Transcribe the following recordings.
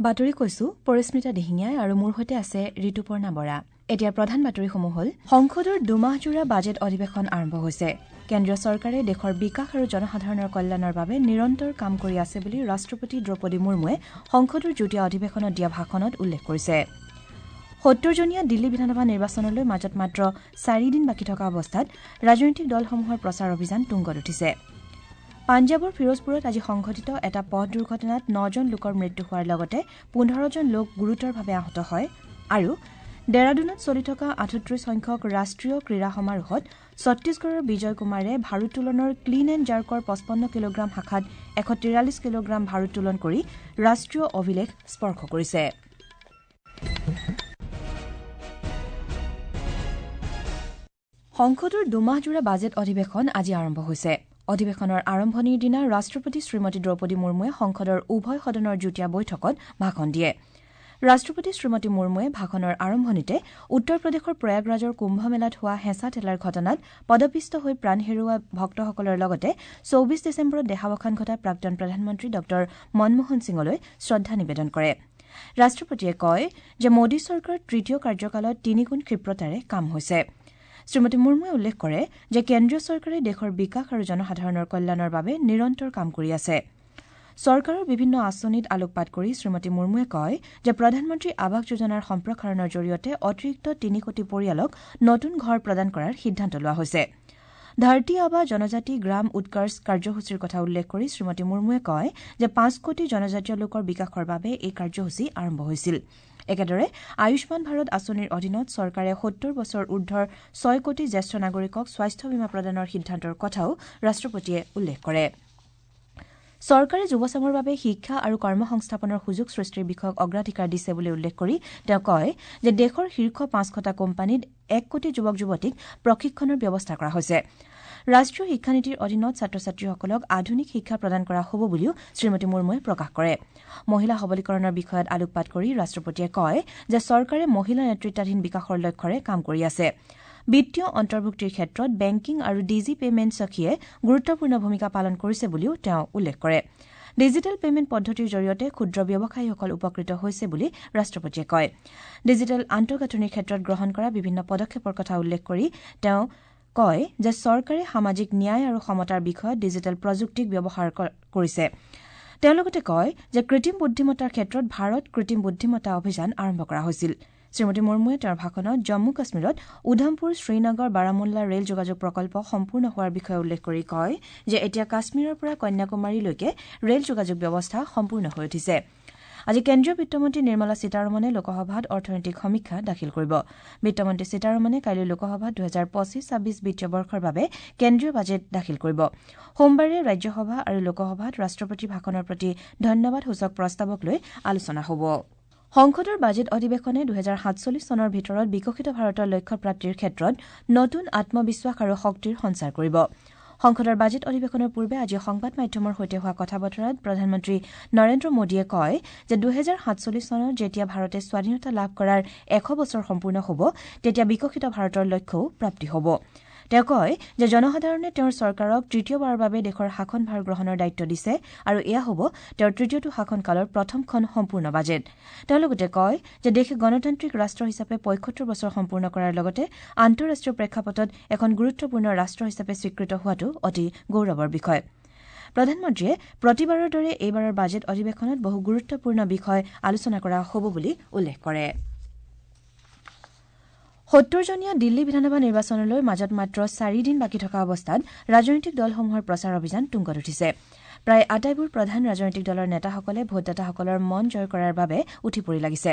বাতৰি কৈছো পৰিস্মিতা দিহিঙীয়াই আৰু মোৰ সৈতে আছে ঋতুপৰ্ণা বৰা। এতিয়া প্ৰধান বাতৰিসমূহ হ'ল: সংসদৰ দুমাহজোৰা বাজেট অধিৱেশন আৰম্ভ হৈছে। কেন্দ্ৰীয় চৰকাৰে দেশৰ বিকাশ আৰু জনসাধাৰণৰ কল্যাণৰ বাবে নিৰন্তৰ কাম কৰি আছে বুলি ৰাষ্ট্ৰপতি দ্ৰৌপদী মুৰ্মুৱে সংসদৰ যুটীয়া অধিৱেশনত দিয়া ভাষণত উল্লেখ কৰিছে। ৭০জনীয়া দিল্লী বিধানসভা নিৰ্বাচনলৈ মাজত মাত্ৰ ৪ দিন বাকী থকা অৱস্থাত ৰাজনৈতিক দলসমূহৰ প্ৰচাৰ অভিযান তুংগত উঠিছে। পাঞ্জাৱৰ ফিৰোজপুৰত আজি সংঘটিত এটা পথ দুৰ্ঘটনাত নজন লোকৰ মৃত্যু হোৱাৰ লগতে ১৫জন লোক গুৰুতৰভাৱে আহত হয়। আৰু ডেৰাডুনত চলি থকা ৩৮ সংখ্যক ৰাষ্ট্ৰীয় ক্ৰীড়া সমাৰোহত ছত্তীশগড়ৰ বিজয় কুমাৰে ভাৰোত্তোলনৰ ক্লিন এণ্ড জাৰ্কৰ ৫৫ কিলোগ্ৰাম শাখাত ১৪৩ কিলোগ্ৰাম ভাৰোত্তোলন কৰি ৰাষ্ট্ৰীয় অভিলেখ স্পৰ্শ কৰিছে। সংসদৰ দুমাহজোৰা বাজেট অধিৱেশন আজি আৰম্ভ হৈছে। অধিৱেশনৰ আৰম্ভণিৰ দিনা ৰাষ্ট্ৰপতি শ্ৰীমতী দ্ৰৌপদী মুৰ্মুৱে সংসদৰ উভয় সদনৰ যুটীয়া বৈঠকত ভাষণ দিয়ে। ৰাষ্ট্ৰপতি শ্ৰীমতী মুৰ্মুৱে ভাষণৰ আৰম্ভণিতে উত্তৰ প্ৰদেশৰ প্ৰয়াগৰাজৰ কুম্ভমেলাত হোৱা হেঁচা ঠেলাৰ ঘটনাত পদপিষ্ট হৈ প্ৰাণ হেৰুওৱা ভক্তসকলৰ লগতে ২৪ ডিচেম্বৰত দেহাৱসান ঘটা প্ৰাক্তন প্ৰধানমন্ত্ৰী ডঃ মনমোহন সিঙলৈ শ্ৰদ্ধা নিবেদন কৰে। ৰাষ্ট্ৰপতিয়ে কয় যে মোদী চৰকাৰৰ তৃতীয় কাৰ্যকালত তিনিগুণ ক্ষিপ্ৰতাৰে কাম হৈছে। শ্ৰীমতী মুৰ্মুৱে উল্লেখ কৰে যে কেন্দ্ৰীয় চৰকাৰে দেশৰ বিকাশ আৰু জনসাধাৰণৰ কল্যাণৰ বাবে নিৰন্তৰ কাম কৰি আছে। চৰকাৰৰ বিভিন্ন আঁচনিত আলোকপাত কৰি শ্ৰীমতী মুৰ্মুৱে কয় যে প্ৰধানমন্ত্ৰী আৱাস যোজনাৰ সম্প্ৰসাৰণৰ জৰিয়তে অতিৰিক্ত ৩ কোটি পৰিয়ালক নতুন ঘৰ প্ৰদান কৰাৰ সিদ্ধান্ত লোৱা হৈছে। ধৰতী আবা জনজাতি গ্ৰাম উৎকৰ্ষ কাৰ্যসূচীৰ কথা উল্লেখ কৰি শ্ৰীমতী মুৰ্মুৱে কয় যে ৫ কোটি জনজাতীয় লোকৰ বিকাশৰ বাবে এই কাৰ্যসূচী আৰম্ভ হৈছিল। একেদৰে আয়ুষ্মান ভাৰত আঁচনিৰ অধীনত চৰকাৰে ৭০ বছৰ ঊৰ্ধৰ ৬ কোটি জ্যেষ্ঠ নাগৰিকক স্বাস্থ্য বীমা প্ৰদানৰ সিদ্ধান্তৰ কথাও ৰাষ্ট্ৰপতিয়ে উল্লেখ কৰে। চৰকাৰে যুৱচামৰ বাবে শিক্ষা আৰু কৰ্মসংস্থাপনৰ সুযোগ সৃষ্টিৰ বিষয়ক অগ্ৰাধিকাৰ দিছে বুলি উল্লেখ কৰি তেওঁ কয় যে দেশৰ শীৰ্ষ ৫০০টা কোম্পানীত ১ কোটি যুৱক যুৱতীক প্ৰশিক্ষণৰ ব্যৱস্থা কৰা হৈছে। ৰাষ্ট্ৰীয় শিক্ষানীতিৰ অধীনত ছাত্ৰ ছাত্ৰীসকলক আধুনিক শিক্ষা প্ৰদান কৰা হ'ব বুলিও শ্ৰীমতী মুৰ্মুৱে প্ৰকাশ কৰে। মহিলা সবলীকৰণৰ বিষয়ত আলোকপাত কৰি ৰাষ্ট্ৰপতিয়ে কয় যে চৰকাৰে মহিলা নেতৃত্বাধীন বিকাশৰ লক্ষ্যৰে কাম কৰি আছে। বিত্তীয় অন্তৰ্ভুক্তিৰ ক্ষেত্ৰত বেংকিং আৰু ডিজি পেমেণ্ট সখীয়ে গুৰুত্বপূৰ্ণ ভূমিকা পালন কৰিছে বুলিও তেওঁ উল্লেখ কৰে। ডিজিটেল পেমেণ্ট পদ্ধতিৰ জৰিয়তে ক্ষুদ্ৰ ব্যৱসায়ীসকল উপকৃত হৈছে বুলি ৰাষ্ট্ৰপতিয়ে কয়। ডিজিটেল আন্তঃগাঁথনিৰ ক্ষেত্ৰত গ্ৰহণ কৰা বিভিন্ন পদক্ষেপৰ কথা উল্লেখ কৰি তেওঁ কয় যে চৰকাৰে সামাজিক ন্যায় আৰু সমতাৰ বিষয়ত ডিজিটেল প্ৰযুক্তিক ব্যৱহাৰ কৰিছে। তেওঁ লগতে কয় যে কৃত্ৰিম বুদ্ধিমত্তাৰ ক্ষেত্ৰত ভাৰত কৃত্ৰিম বুদ্ধিমত্তা অভিযান আৰম্ভ কৰা হৈছিল। শ্ৰীমতী মুৰ্মুৱে তেওঁৰ ভাষণত জম্মু কাশ্মীৰত উধমপুৰ শ্ৰীনগৰ বাৰামুল্লা ৰেল যোগাযোগ প্ৰকল্প সম্পূৰ্ণ হোৱাৰ বিষয়ে উল্লেখ কৰি কয় যে এতিয়া কাশ্মীৰৰ পৰা কন্যাকুমাৰীলৈকে ৰেল যোগাযোগ ব্যৱস্থা সম্পূৰ্ণ হৈ উঠিছে। আজি কেন্দ্ৰীয় বিত্তমন্ত্ৰী নিৰ্মলা সীতাৰমণে লোকসভাত অৰ্থনৈতিক সমীক্ষা দাখিল কৰিব। বিত্তমন্ত্ৰী সীতাৰমণে কাইলৈ লোকসভাত ২০২৫-২৬ বিত্তীয় বৰ্ষৰ বাবে কেন্দ্ৰীয় বাজেট দাখিল কৰিব। সোমবাৰে ৰাজ্যসভা আৰু লোকসভাত ৰাষ্ট্ৰপতিৰ ভাষণৰ প্ৰতি ধন্যবাদসূচক প্ৰস্তাৱক লৈ আলোচনা হ'ব। সংসদৰ বাজেট অধিৱেশনে ২০৪৭ চনৰ ভিতৰত বিকশিত ভাৰতৰ লক্ষ্য প্ৰাপ্তিৰ ক্ষেত্ৰত নতুন আত্মবিশ্বাস আৰু শক্তিৰ সঞ্চাৰ কৰিব। সংসদৰ বাজেট অধিৱেশনৰ পূৰ্বে আজি সংবাদ মাধ্যমৰ সৈতে হোৱা কথা বতৰাত প্ৰধানমন্ত্ৰী নৰেন্দ্ৰ মোদীয়ে কয় যে ২০৪৭ চনত যেতিয়া ভাৰতে স্বাধীনতা লাভ কৰাৰ ১০০ বছৰ সম্পূৰ্ণ হ'ব, তেতিয়া বিকশিত ভাৰতৰ লক্ষ্যও প্ৰাপ্তি হ'ব। তেওঁ কয় যে জনসাধাৰণে তেওঁৰ চৰকাৰক তৃতীয়বাৰৰ বাবে দেশৰ শাসনভাৰ গ্ৰহণৰ দায়িত্ব দিছে আৰু এয়া হ'ব তেওঁৰ তৃতীয়টো শাসনকালৰ প্ৰথমখন সম্পূৰ্ণ বাজেট। তেওঁ লগতে কয় যে দেশে গণতান্ত্ৰিক ৰাষ্ট্ৰ হিচাপে ৭৫ বছৰ সম্পূৰ্ণ কৰাৰ লগতে আন্তঃৰাষ্ট্ৰীয় প্ৰেক্ষাপটত এখন গুৰুত্বপূৰ্ণ ৰাষ্ট্ৰ হিচাপে স্বীকৃত হোৱাটো অতি গৌৰৱৰ বিষয়। প্ৰধানমন্ত্ৰীয়ে প্ৰতিবাৰৰ দৰে এইবাৰৰ বাজেট অধিৱেশনত বহু গুৰুত্বপূৰ্ণ বিষয় আলোচনা কৰা হ'ব বুলি উল্লেখ কৰে। ৭০জনীয়া দিল্লী বিধানসভা নিৰ্বাচনলৈ মাজত মাত্ৰ ৪ দিন বাকী থকা অৱস্থাত ৰাজনৈতিক দলসমূহৰ প্ৰচাৰ অভিযান তুংগত উঠিছে। প্ৰায় আটাইবোৰ প্ৰধান ৰাজনৈতিক দলৰ নেতাসকলে ভোটদাতাসকলৰ মন জয় কৰাৰ বাবে উঠি পৰি লাগিছে।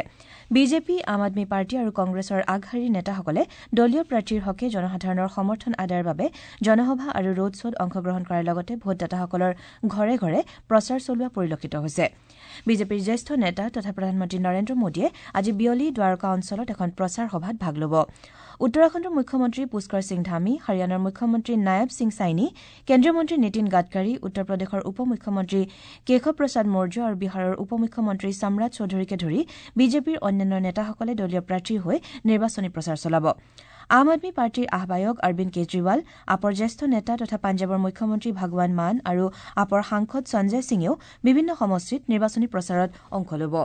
বিজেপি, আম আদমী পাৰ্টী আৰু কংগ্ৰেছৰ আগশাৰীৰ নেতাসকলে দলীয় প্ৰাৰ্থীৰ হকে জনসাধাৰণৰ সমৰ্থন আদায়ৰ বাবে জনসভা আৰু ৰোড শ্বত অংশগ্ৰহণ কৰাৰ লগতে ভোটদাতাসকলৰ ঘৰে ঘৰে প্ৰচাৰ চলোৱা পৰিলক্ষিত হৈছে। বিজেপিৰ জ্যেষ্ঠ নেতা তথা প্ৰধানমন্ত্ৰী নৰেন্দ্ৰ মোদীয়ে আজি বিয়লি দ্বাৰকা অঞ্চলত এখন প্ৰচাৰ সভাত ভাগ ল'ব। উত্তৰাখণ্ডৰ মুখ্যমন্ত্ৰী পুষ্কৰ সিং ধামী, হাৰিয়ানাৰ মুখ্যমন্ত্ৰী নায়ব সিং ছাইনী, কেন্দ্ৰীয় মন্ত্ৰী নীতিন গাডকাৰী, উত্তৰ প্ৰদেশৰ উপ মুখ্যমন্ত্ৰী কেশৱ প্ৰসাদ মৌৰ্য আৰু বিহাৰৰ উপ মুখ্যমন্ত্ৰী সম্ৰাট চৌধুৰীকে ধৰি বিজেপিৰ অন্যান্য নেতাসকলে দলীয় প্ৰাৰ্থীৰ হৈ নিৰ্বাচনী প্ৰচাৰ চলাব। আম আদমী পাৰ্টীৰ আহ্বায়ক অৰবিন্দ কেজৰিৱাল, আপৰ জ্যেষ্ঠ নেতা তথা পাঞ্জাৱৰ মুখ্যমন্ত্ৰী ভগৱান মান আৰু আপৰ সাংসদ সঞ্জয় সিঙেও বিভিন্ন সমষ্টিত নিৰ্বাচনী প্ৰচাৰত অংশ ল'ব।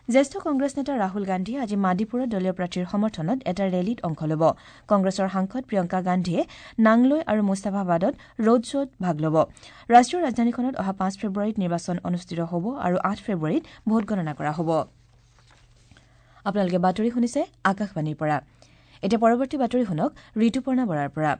জ্যেষ্ঠ কংগ্ৰেছ নেতা ৰাহুল গান্ধীয়ে আজি মাদিপুৰত দলীয় প্ৰাৰ্থীৰ সমৰ্থনত এটা ৰেলীত অংশ ল'ব। কংগ্ৰেছৰ সাংসদ প্ৰিয়ংকা গান্ধীয়ে নাংলৈ আৰু মুস্তাফাবাদত ৰোড শ্ব'ত ভাগ ল'ব। ৰাষ্ট্ৰীয় ৰাজধানীখনত অহা 5 ফেব্ৰুৱাৰীত নিৰ্বাচন অনুষ্ঠিত হ'ব আৰু 8 ফেব্ৰুৱাৰীত ভোটগণনা কৰা হ'ব। আপোনালোকে বাতৰি শুনিছে আকাশবাণীৰ পৰা। এতিয়া পৰৱৰ্তী বাতৰি শুনক ঋতুপৰ্ণা বৰাৰ পৰা।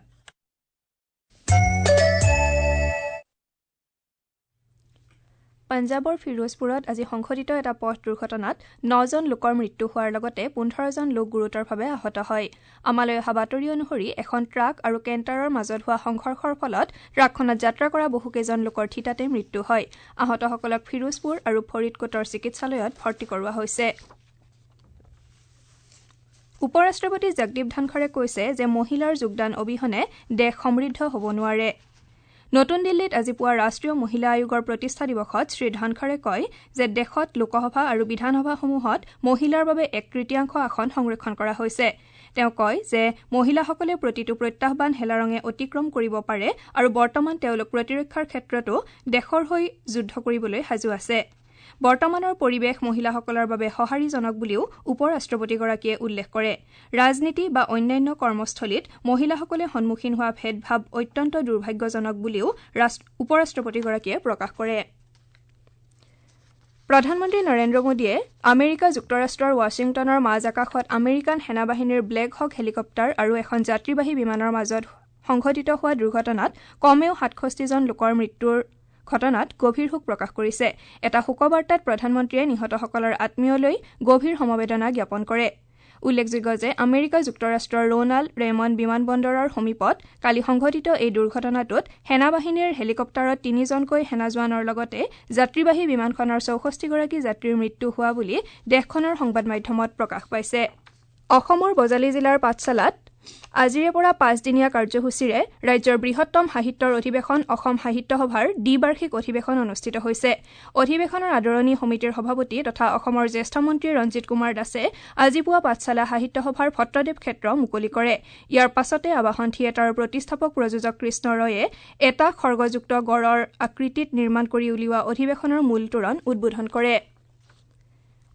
পঞ্জাৱৰ ফিৰোজপুৰত আজি সংঘটিত এটা পথ দুৰ্ঘটনাত 9জন লোকৰ মৃত্যু হোৱাৰ লগতে 15জন লোক গুৰুতৰভাৱে আহত হয়। আমালৈ অহা বাতৰি অনুসৰি এখন ট্ৰাক আৰু কেণ্টাৰৰ মাজত হোৱা সংঘৰ্ষৰ ফলত ট্ৰাকখনত যাত্ৰা কৰা বহুকেইজন লোকৰ থিতাতে মৃত্যু হয়। আহতসকলক ফিৰোজপুৰ আৰু ফৰিদকোটৰ চিকিৎসালয়ত ভৰ্তি কৰোৱা হৈছে। উপ ৰাষ্ট্ৰপতি জগদীপ ধনখৰে কৈছে যে মহিলাৰ যোগদান অবিহনে দেশ সমৃদ্ধ হ'ব নোৱাৰে। নতুন দিল্লীত আজি পুৱা ৰাষ্ট্ৰীয় মহিলা আয়োগৰ প্ৰতিষ্ঠা দিৱসত শ্ৰী ধনখৰে কয় যে দেশত লোকসভা আৰু বিধানসভাসমূহত মহিলাৰ বাবে 1/3 আসন সংৰক্ষণ কৰা হৈছে। তেওঁ কয় যে মহিলাসকলে প্ৰতিটো প্ৰত্যাহ্বান হেলাৰঙে অতিক্ৰম কৰিব পাৰে আৰু বৰ্তমান তেওঁলোক প্ৰতিৰক্ষাৰ ক্ষেত্ৰতো দেশৰ হৈ যুদ্ধ কৰিবলৈ সাজু আছে। বৰ্তমানৰ পৰিৱেশ মহিলাসকলৰ বাবে সঁহাৰিজনক বুলিও উপ ৰাষ্ট্ৰপতিগৰাকীয়ে উল্লেখ কৰে। ৰাজনীতি বা অন্যান্য কৰ্মস্থলীত মহিলাসকলে সন্মুখীন হোৱা ভেদভাৱ অত্যন্ত দুৰ্ভাগ্যজনক বুলিও উপ ৰাষ্ট্ৰপতিগৰাকীয়ে প্ৰকাশ কৰে। প্ৰধানমন্ত্ৰী নৰেন্দ্ৰ মোদীয়ে আমেৰিকা যুক্তৰাষ্ট্ৰৰ ৱাশ্বিংটনৰ মাজ আকাশত আমেৰিকান সেনাবাহিনীৰ ব্লেক হক হেলিকপ্টাৰ আৰু এখন যাত্ৰীবাহী বিমানৰ মাজত সংঘটিত হোৱা দুৰ্ঘটনাত কমেও 67জন লোকৰ মৃত্যুৰ ঘটনাত গভীৰ শোক প্ৰকাশ কৰিছে। এটা শোকবাৰ্তাত প্ৰধানমন্ত্ৰীয়ে নিহতসকলৰ আত্মীয়লৈ গভীৰ সমবেদনা জ্ঞাপন কৰে। উল্লেখযোগ্য যে আমেৰিকা যুক্তৰাষ্ট্ৰৰ ৰোনাল্ড ৰেমন বিমানবন্দৰৰ সমীপত কালি সংঘটিত এই দুৰ্ঘটনাটোত সেনাবাহিনীৰ হেলিকপ্টাৰত 3জনকৈ সেনা জোৱানৰ লগতে যাত্ৰীবাহী বিমানখনৰ 64গৰাকী যাত্ৰীৰ মৃত্যু হোৱা বুলি দেশখনৰ সংবাদ মাধ্যমত প্ৰকাশ পাইছে। অসমৰ বজালী জিলাৰ পাঠশালাত আজিৰে পৰা 5দিনীয়া কাৰ্যসূচীৰে ৰাজ্যৰ বৃহত্তম সাহিত্যৰ অধিৱেশন অসম সাহিত্য সভাৰ দ্বিবাৰ্ষিক অধিৱেশন অনুষ্ঠিত হৈছে। অধিৱেশনৰ আদৰণি সমিতিৰ সভাপতি তথা অসমৰ জ্যেষ্ঠ মন্ত্ৰী ৰঞ্জিত কুমাৰ দাসে আজি পুৱা পাঠশালা সাহিত্য সভাৰ ভট্টদেৱ ক্ষেত্ৰ মুকলি কৰে। ইয়াৰ পাছতে আৱাহন থিয়েটাৰৰ প্ৰতিষ্ঠাপক প্ৰযোজক কৃষ্ণ ৰয়ে এটা খৰ্গযুক্ত গড়ৰ আকৃতিত নিৰ্মাণ কৰি উলিওৱা অধিৱেশনৰ মূল তোৰণ উদ্বোধন কৰে।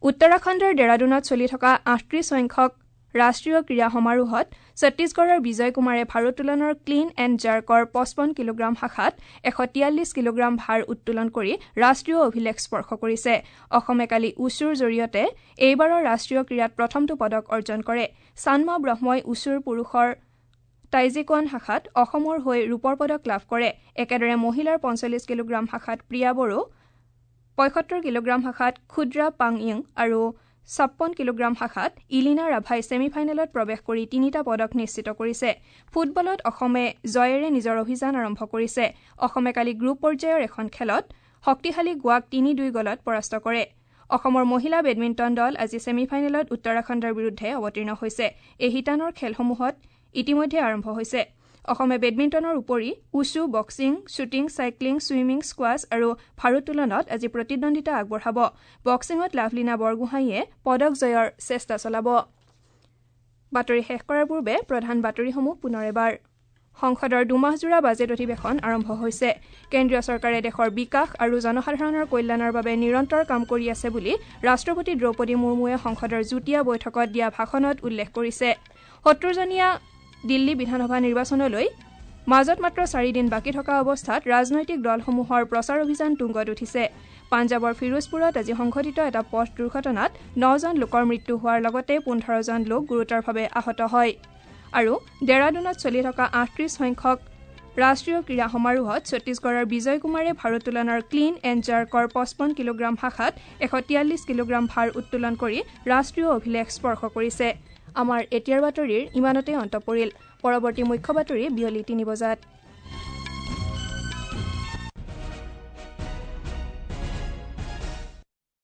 উত্তৰাখণ্ডৰ ডেৰাডুনত চলি থকা 38 সংখ্যক ৰাষ্ট্ৰীয় ক্ৰীড়া সমাৰোহত ছত্তীশগড়ৰ বিজয় কুমাৰে ভাৰোত্তোলনৰ ক্লীন এণ্ড জাৰ্কৰ 55 কিলোগ্ৰাম শাখাত 143 কিলোগ্ৰাম ভাৰ উত্তোলন কৰি ৰাষ্ট্ৰীয় অভিলেখ স্পৰ্শ কৰিছে। অসমে কালি উচুৰ জৰিয়তে এইবাৰৰ ৰাষ্ট্ৰীয় ক্ৰীড়াত প্ৰথমটো পদক অৰ্জন কৰে। চানমা ব্ৰহ্মই উচুৰ পুৰুষৰ টাইজিকোৱান শাখাত অসমৰ হৈ ৰূপৰ পদক লাভ কৰে। একেদৰে মহিলাৰ 45 কিলোগ্ৰাম শাখাত প্ৰিয়া বড়ো, 75 কিলোগ্ৰাম শাখাত ক্ষুদ্ৰা পাংইং আৰু 56 কিলোগ্ৰাম শাখাত ইলিনা ৰাভাই ছেমিফাইনেলত প্ৰৱেশ কৰি 3টা পদক নিশ্চিত কৰিছে। ফুটবলত অসমে জয়েৰে নিজৰ অভিযান আৰম্ভ কৰিছে। অসমে কালি গ্ৰুপ পৰ্যায়ৰ এখন খেলত শক্তিশালী গোৱাক 3-2 গ'লত পৰাস্ত কৰে। অসমৰ মহিলা বেডমিণ্টন দল আজি ছেমিফাইনেলত উত্তৰাখণ্ডৰ বিৰুদ্ধে অৱতীৰ্ণ হৈছে। এই শিতানৰ খেলসমূহত ইতিমধ্যে আৰম্ভ হৈছে। অসমে বেডমিণ্টনৰ উপৰি wushu, boxing, shooting, cycling, swimming, squash আৰু ভাৰোত্তোলনত আজি প্ৰতিদ্বন্দ্বিতা আগবঢ়াব। বক্সিঙত লাভলীনা বৰগোহাঁইয়ে পদক জয়ৰ চেষ্টা চলাব। বাতৰি শেষ কৰাৰ পূৰ্বে প্ৰধান বাতৰিসমূহ পুনৰ এবাৰ। সংসদৰ দুমাহজোৰা বাজেট অধিৱেশন আৰম্ভ হৈছে। কেন্দ্ৰীয় চৰকাৰে দেশৰ বিকাশ আৰু জনসাধাৰণৰ কল্যাণৰ বাবে নিৰন্তৰ কাম কৰি আছে বুলি ৰাষ্ট্ৰপতি দ্ৰৌপদী মুৰ্মুৱে সংসদৰ যুটীয়া বৈঠকত দিয়া ভাষণত উল্লেখ কৰিছে। 70জনীয়া দিল্লী বিধানসভা নিৰ্বাচনলৈ মাজত মাত্ৰ 4 দিন বাকী থকা অৱস্থাত ৰাজনৈতিক দলসমূহৰ প্ৰচাৰ অভিযান তুংগত উঠিছে। পাঞ্জাৱৰ ফিৰোজপুৰত আজি সংঘটিত এটা পথ দুৰ্ঘটনাত 9জন লোকৰ মৃত্যু হোৱাৰ লগতে 15জন লোক গুৰুতৰভাৱে আহত হয়। আৰু ডেৰাডুনত চলি থকা 38 সংখ্যক ৰাষ্ট্ৰীয় ক্ৰীড়া সমাৰোহত ছত্তীশগড়ৰ বিজয় কুমাৰে ভাৰোত্তোলনৰ ক্লীন এণ্ড জাৰ্কৰ 55 কিলোগ্ৰাম শাখাত 143 কিলোগ্ৰাম ভাৰ উত্তোলন কৰি ৰাষ্ট্ৰীয় অভিলেখ স্পৰ্শ কৰিছে। আমাৰ এতিয়াৰ বাতৰিৰ ইমানতে অন্ত পৰিল। পৰৱৰ্তী মুখ্য বাতৰি বিয়লি 3 বজাত।